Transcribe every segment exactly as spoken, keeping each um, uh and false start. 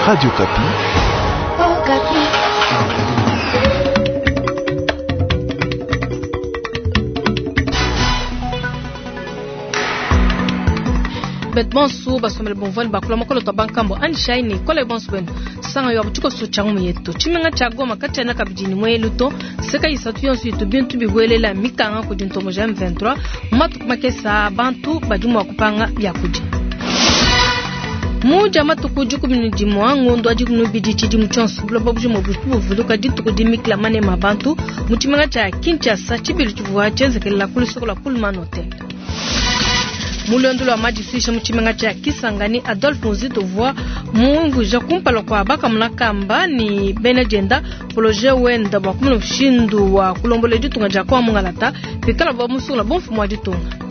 Radio Okapi. Oh, Okapi. Bet bonsu basomele bomvwani bakula mokolo twa bankambo andishayi ne kola bonsu benu sanga yo abuchiko changu muyetu tshimenga tshia Goma katshiena kabidi ne muelu to seka isatu yonso itu bintu bibuelela mikanga kudi ntombo ja M vingt-trois matuku makesa bantu badi mua kupanga biakudia. Muja matuku dikumi ne dimue ngondo wa dikumi ne bibidi tshidimu tshionso buloba bujima buvuluka dituku dimikila manema a bantu mu tshimenga tshia Kinshasa tshibilu tshivua tshienzekelela ku lusoko lua Pullman Hotel. Mulondu lwa madisuisha mu tshimenga tshia Kisangani Adolphe Muzito uvua mumvuija kumpala kua bakamuna kamba ni bena dienda projet wenda bua kumuna mushindu wa kulombola ditunga dia kwa mungalata pikala bua musungula bomfumu wa ditunga.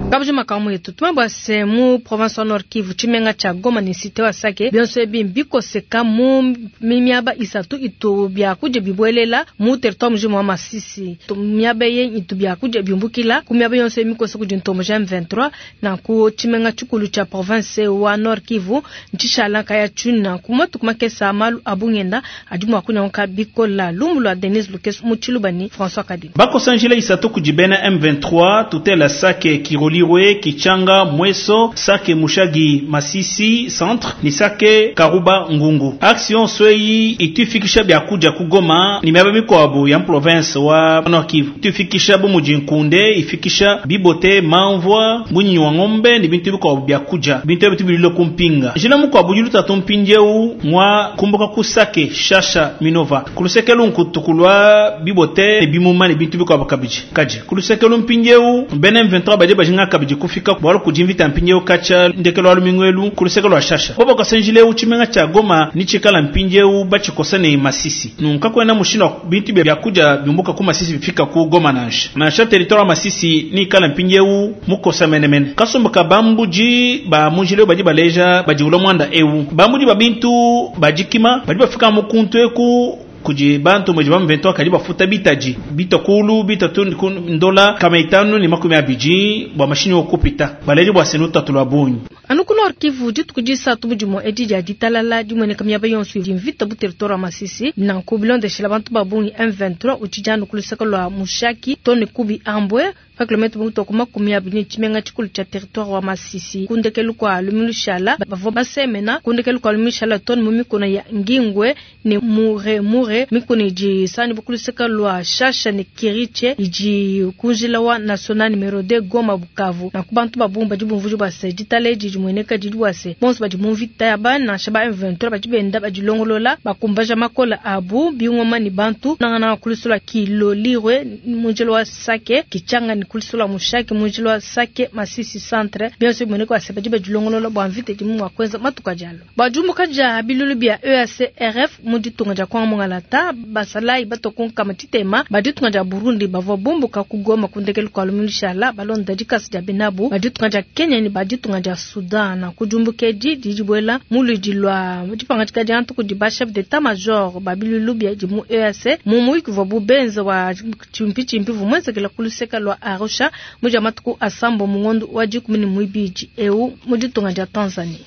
Kabuji makamu yetu tumabwa se mu province wa Nord Kivu tshimenga tshia Goma ni cité wa Sake bionso ebi mbikoseka mu miaba isatu itu biakudia bibuelela mu territoire mujima wa Masisi miaba ye itu biakudia biumbukila ku miaba yonso emikosa kudi ntombo ja M vingt-trois na ku tshimenga tshikulu tshia province wa Nord Kivu ntshishala kaya tshuna ku matuku makesa malu abungenda adi mua kunyanguka bikola lumu lwa Denise Lukeso mu Tshilubani François Kadima bakosanjila isatu kudi bena M vingt-trois tutela Sake Kiroli Kichanga Mweso Sake Mushagi Masisi centre ni Sake Karuba Ngungu action swei itufikisha byakuja kugoma ni miaba mikwabu ya province wa Nord Kivu itufikisha bu mujinkunde ifikisha bibote manvwa munyi wa ngombe ni bintu bikwabu byakuja bintu bitu bililo kumpinga jina mukwabu yuluta tumpinjeu mwa kumbuka ku Sake Shasha Minova kulusekelu nkutukulwa bibote bimuma ni bintu bikwabu kabiji kaji kulusekelu mpinjeu ben M vingt-trois baje bajinga kabiji kufika bwalo kujimvita mpinjeu kacha ndekelo alumingwelu kulusekelo ashasha bobo kasenjile uchimenga cha Goma ni chikala mpinjeu bachikosa ne Masisi nunka kwena mushino bintu bya kuja byumbuka ku Masisi bifika ku Goma nansha nansha territoire Masisi ni kala mpinjeu mukosa menemene kasomba kabambuji ba mujile baji baleja baji ulomwanda eu bambuji ba bintu bajikima baji bafika mukuntu eku kuji bantu mweji ba M vingt-trois kali bafuta bitaji bitakulu bitatu ndola kama itanu ni makumi abiji bwa mashini okupita baleji bwa senuta tulwa bunyi anu ku Nord Kivu dituku disatu budimo edi dia ditalala dimueneka miaba yonso idi mvita bu territoire wa Masisi nanku bilondeshela bantu ba bungi M vingt-trois utshijanu ku luseke lua Mushaki tone kubi ambwe pa kilomètre muto makumi abidi ne tshimenga tshikulu tshia territoire wa Masisi kundekelu kwa lumilushala bavua basemena kundekelu kwa lumilushala tone mu mikono ya Ngingwe ne Mure Mure mikono idi sani bukuluseka lua Shasha ne Kiriche idi kunjila wa national numero deux Goma Bukavu na kubantu babumba dibumvuju base ditale didi mueneka didi wase bonso badi mu mvita ya bana shaba M vingt-trois badi benda badilongolola bakumbaja makola abu bingoma ni bantu nangana kulusula kilolirwe munjelo wa Sake Kichanga ni kulusula Mushaki munjelo wa Sake Masisi centre bionso mueneka wase badi badilongolola bwa mvita di mu kwenza matuka jalo bajumbuka ja bilulu bya E A C R F mu ditunga ja kwa mungalata basalai batokonka matitema baditunga ja Burundi bavua bomboka kugoma kundekelu kwa lumilushala balonda dikasi ja benabu baditunga ja Kenya ni baditunga ja Sudan na kujumbukeji dijibwela muludi lwa dipangatika dia ntuku di ba chef d'état major babilulu bya di mu E A C mu muiki vua bubenza wa chimpi chimpi vumwenzekela kuluseka lwa Arusha muja matuku asambo mungondo wa dikumi ne muibidi eu mu ditunga dia Tanzania.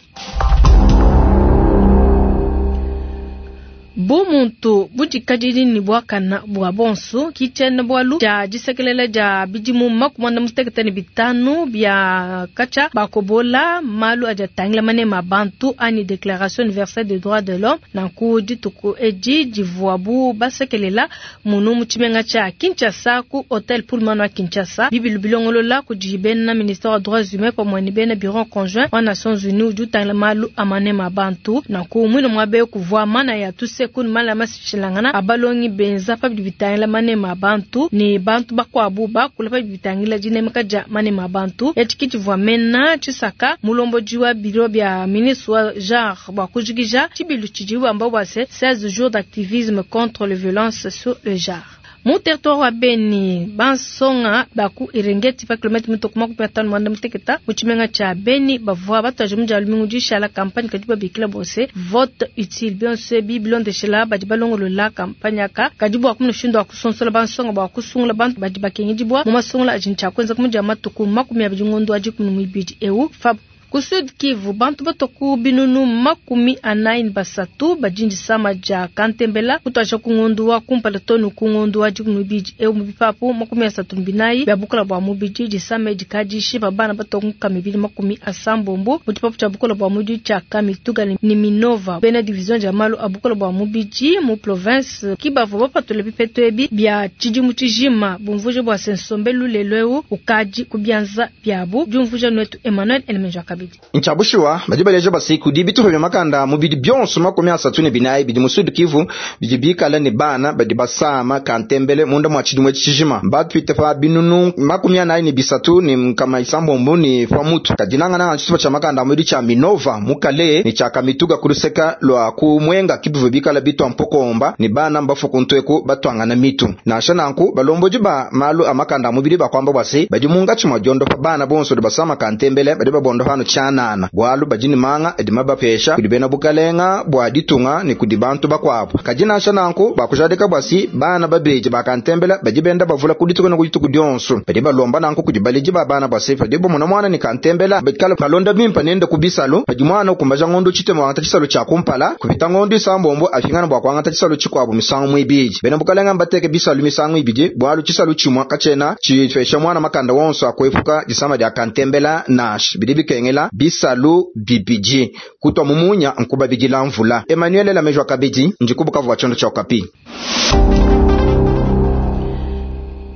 Bumuntu budikadidi ni bwakana bwa bonso kichena bwalu ja disekelela ja bidimu makumanda mutekete ne bitanu bya kacha bakobola malu aja tangila manema bantu ani déclaration universelle des droits de l'homme na ku dituku edi divuabu basekelela munu mu tshimenga tshia Kinshasa ku hotel Pullman wa Kinshasa bibilu bilongolola kudi bena ministère wa droits humains pamwe ne bena bureau conjoint wa Nations Unies udi utangila malu a manema bantu na ku mwino mwabe kuvua mana ya tuse kun mala masishilangana abalongi benza pa bitangila manema bantu ni bantu bakwabu bakula pa bitangila dinemeka dia manema bantu etikiti vwa mena chisaka mulombo jiwa biro bya ministre wa genre bwa kujikija chibilu chijiwa ambao bwase seize jours d'activisme contre les violences sur le genre. Mu territoire wa Beni bansonga baku Irengeti pa kilomètre mitoko makumi atano mwanda muteketa mu tshimenga tshia Beni bavua batuaje mu dia lumingu dishala campagne kadi babikila bose vote utile bionso ebi bilondeshela badi balongolola campagne aka kadi bua kumushindu wa kusonsola bansonga bua kusungula bantu badi bakengedibua mu masungula adi ntshia kuenza ku mudia matuku makumi abidi ngondo adi kumi ne muibidi eu Fab Ku Sud Kivu, bantu batua ku binunu makumi anayi ne basatu badi disama dia kantembela kutuadija ku ngondu wa kumpala too ne ku ngondu wa dikumi n'ibidi eu mu bipapu makumi asatu ne binayi bia bukola bua mubidi. Disama edi kadishipa bana batua ku nkama ibidi makumi asambombo mu tshipapu tshia bukola bua mubidi tshia Kamituga ne Minova. Bena division dia malu a bukola bua mubidi mu province ki bavua bapatula bipetu ebi bia tshidimu tshijima bumvuije bua se nsombelu lelu eu ukadi ku bianza biabu. Diumvuija nuetu Emmanuel Elemenja kabidi. Nchabushuwa badi baleja basiku di bitupa bya makanda mubidi byonso makumi asatu ne binayi bidi mu Sud Kivu bidi bikala ne bana badi basama kantembele munda mwa tshidimu tshijima batwite pa binunu makumi anayi ne bisatu ne nkama isambombo ne pa mutu kadinangana na tshitupa tshia makanda mubidi tshia Minova mukale ne tshia Kamituga kuluseka lwa ku Mwenga kibivu bikala bitwa mpokomba ne bana mbafu kuntweku batwangana mitu nansha nanku balomboji ba malu a makanda mubidi bakwamba bwase badi mungatshi mwa diondo pa bana bonso de basama kantembele badi babondo hano tshanana bwalu badi ne manga edi mabapesha kudi bena bukalenga bwa ditunga ne kudi bantu bakwabo kadi nansha nanku bakujadika bwasi bana babeji bakantembela badi benda bavula kudituku ne kudituku dionso badi balomba nanku kudi baledi ba bana bwase padi bomona mwana ne kantembela bikala balonda bimpa nende kubisalo padi mwana ukumbaja ngondo tshitema wangata tshisalo tshia kumpala kupita ngondo isambombo afingana bwa kwangata tshisalo tshikwabo misangu mwibidi bena bukalenga mbateke bisalu misangu ibidi bwalu tshisalu tshimwa katshena tshifesha mwana makanda wonso akwepuka disama dia kantembela nash bidi bikengela bisalu bibidi kutwa mumunya nkuba bidila mvula. Emmanuel Lamejwa Kabidi ndikubukavu wa chondo cha Okapi.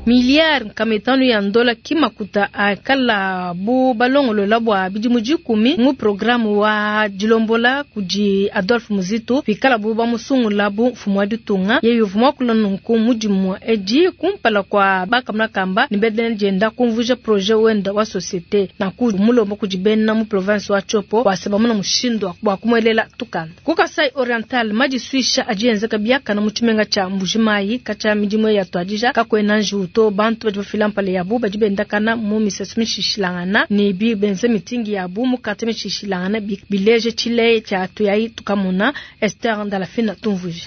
Milliard nkametano ya ndola kimakuta akala bu balongolola bwa bidimu dikumi mu programme wa dilombola kudi Adolphe Muzito pikala bu bamusungula bu mfumu wa ditunga yeyo vuma kula nunku mudimu edi kumpala kwa bakamuna kamba ni bedene dienda kumvuja projet wenda wa société na ku mulomba kudi bena mu province wa Tshopo waseba muna mushindu wa kumwelela tukanda ku Kasai Oriental madisuisha adienzeka biakana mu tshimenga tsha Mbujimayi katsha midimu ya tuadija kakwena njuto bantu badi bafila mpale yabu badi bendakana mu misesu mishishilangana ne bi benze mitingi yabu mu kate mishishilangana bileje tshile tshia tuyayi tukamona. Esther Ndalafina tumvuje.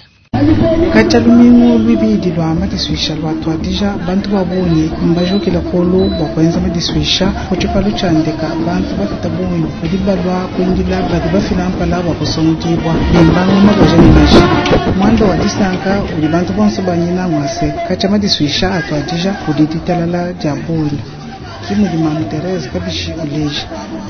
Kacha lumingu lwibidi lwa madisuisha lwa tuadija bantu babunyi mbajukila kolu bwa kwenza madisuisha ku tshipalu tshia ndeka bantu bapita bunyi badi balwa kuindila badi bafila mpala bwa kusungudibwa bimbangu mabaja ne maji mwanda wa disanka udi bantu bonso banyina ngwase kacha madisuisha atuadija kudi ditalala dia bunyi kimudi mamu Therese kabishi uleja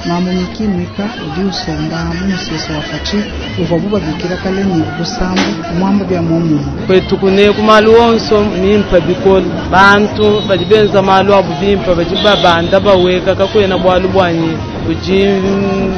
mamu miki mwika udi usomba mu museso wa fachi uvua bubabikila kale ni busambu mwamba bya momuma kwetu kune kumalu onso mimpa bikolo bantu badi benza malu abu bimpa badi babanda baweka kakwena bwalu bwanyi budi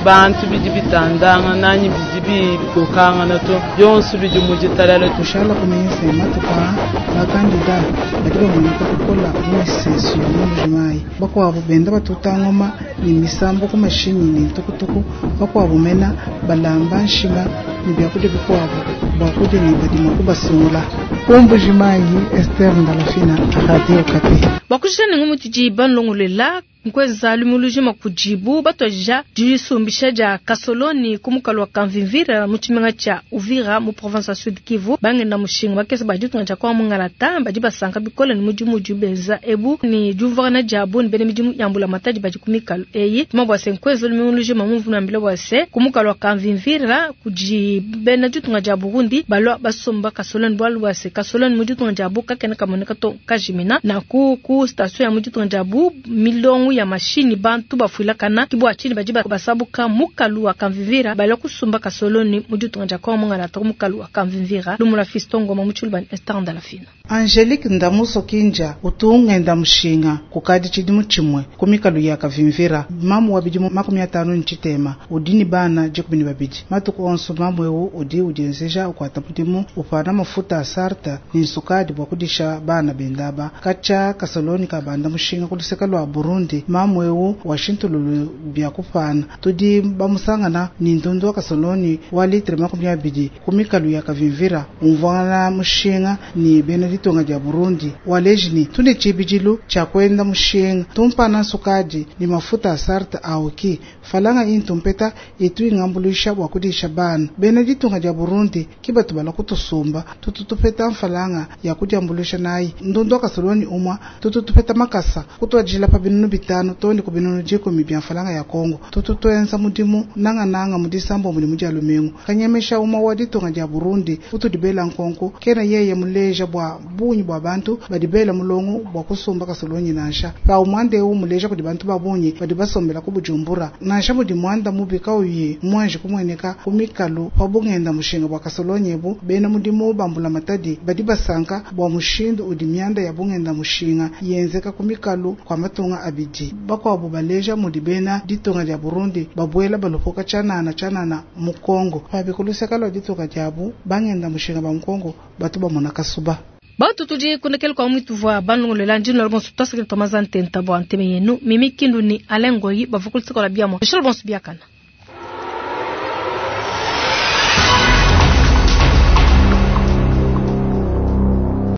bantu bidi bitandanga nanyi bidi bikokangana to byonso bidi mu ditalala tushala kumenya matuka bakandida badi bamoneka kukola mu miseso ya mu Mbujimayi bakwabo benda batuta ngoma ni misambo ku mashinyi ni ntukutuku bakwabo mena balamba nshima ni byakudia bikwabo bwakudia ni badima kubasungula ku Mbujimayi. Esther Ndalafina, Radio Okapi. Bakushana ngumutiji banlongolela nkweza lumulujima kujibu batwaja disumbisha dia kasoloni kumukalo wa Kamvimvira mu tshimenga tshia Uvira mu province ya Sud Kivu bangenda mushinga bakesa badi tunga tshia kwa mungalata badi basanka bikole ni mudimu udi benza ebu ni diumvuangana diabu ni bena midimu ya mbula matadi badi ku mikalu eyi tuma bua se nkweza lumulujima mumvunu ambila bua se kumukalo wa Kamvimvira kudi bena ditunga dia Burundi balwa basomba kasoloni bwalu bua se kasoloni mu ditunga dia bu kakena kamoneka to kajimina na ku ku station ya mu ditunga dia bu milongo ya mashini bantu bafuila kana kibwa chini badi basabuka mukalu wa Kamvimvira balwa kusumba kasoloni mu ditunga dia kwa mungala ta mukalu wa Kamvimvira lumula fistongo mamuchulu ban Esther Ndalafina. Angelique Ndamuso Kinja utungenda mushinga kukadi tshidimu tshimwe ku mikalu ya Kavimvira mamu wa bidimu makumi atanu ntshitema udi ni bana dikumi ne babidi matuku onso mamu ewu udi udienzeja ukwata mudimu upana mafuta a sarta ni nsukadi bua kudisha bana bendaba katsha kasoloni kabanda mushinga kuluseka lwa Burundi mamu ewu washintululu bya kupana tudi bamusangana ni ndundu wa kasoloni wa litre makumi abidi ku mikalu ya Kavimvira umvana mushinga ni bena ditunga dia Burundi walejini tune tshibidilu tshia kwenda mushinga tumpana nsukadi ni mafuta a sarta aoki falanga intumpeta itu ingambuluisha bua kudisha bana bena ditunga dia Burundi kibatu bala kutusumba tututupeta mfalanga ya kudiambulisha nayi ndundu wa kasoloni umwa tututupeta makasa kutwajila pa binunu bitanu bitanu too ne ku binunu dikumi bia mfranga ya Kongo. Tutu tuenza mudimu nangananga mu disambombo ne mu dia lumingu. Kanyemesha umue wa ditunga dia Burundi utudi bela nkonko kena yeye muleja bua bungi bua bantu badi bela mulongo bua kusumba kasolonyi nansha. Pawu muanda eu muleja kudi bantu ba bungi badi basombela ku Bujumbura. Nansha mudi muanda mubi kauyi muanji kumueneka ku mikalu pa bungenda mushinga bua kasolonyi ebu, bena mudimu ba mbulamatadi badi basanka bua mushindu udi mianda ya bungenda mushinga yenzeka ku mikalu kua matunga abidi. Bakuabu baleja mudi bena ditunga dia Burundi babuela balopoka tshianana tshianana mu Kongo. Pabi ku luseke lua ditunga diabu, bangenda mushinga ba mu Kongo batu bamona kasuba. Bantu tudi kundekela kwa mwitu vwa banlongolela ndino la bonso twasakila twamaza ntenta bwa nteme yenu Mimi Kindu ni Alain Ngoyi bavua ku luseke lua biamua. Bishalo bonso biakana.